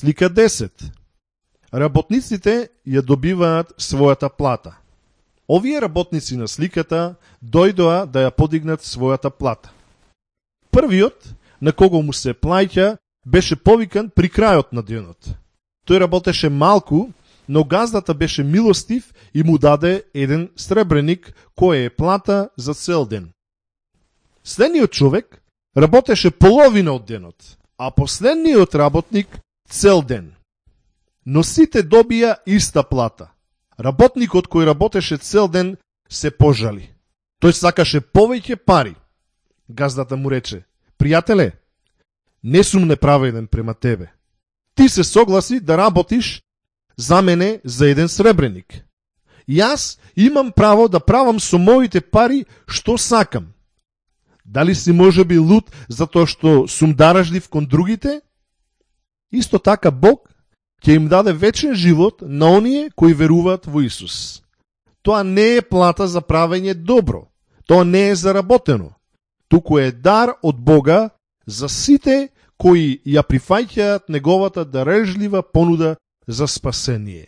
Слика 10. Работниците ја добиваат својата плата. Овие работници на сликата дојдоа да ја подигнат својата плата. Првиот, на кого му се плаќа, беше повикан при крајот на денот. Тој работеше малку, но газдата беше милостив и му даде еден сребреник, кој е плата за цел ден. Следниот човек работеше половина од денот, а последниот работник цел ден. Но сите добија иста плата. Работникот кој работеше цел ден се пожали. Тој сакаше повеќе пари. Газдата му рече: пријателе, не сум неправеден према тебе. Ти се согласи да работиш за мене за еден сребреник. Јас имам право да правам со моите пари што сакам. Дали си можеби луд затоа што сум даражлив кон другите? Исто така Бог ќе им даде вечен живот на оние кои веруваат во Исус. Тоа не е плата за правење добро. Тоа не е заработено. Туку е дар од Бога за сите кои ја прифаќаат неговата дарежлива понуда за спасение.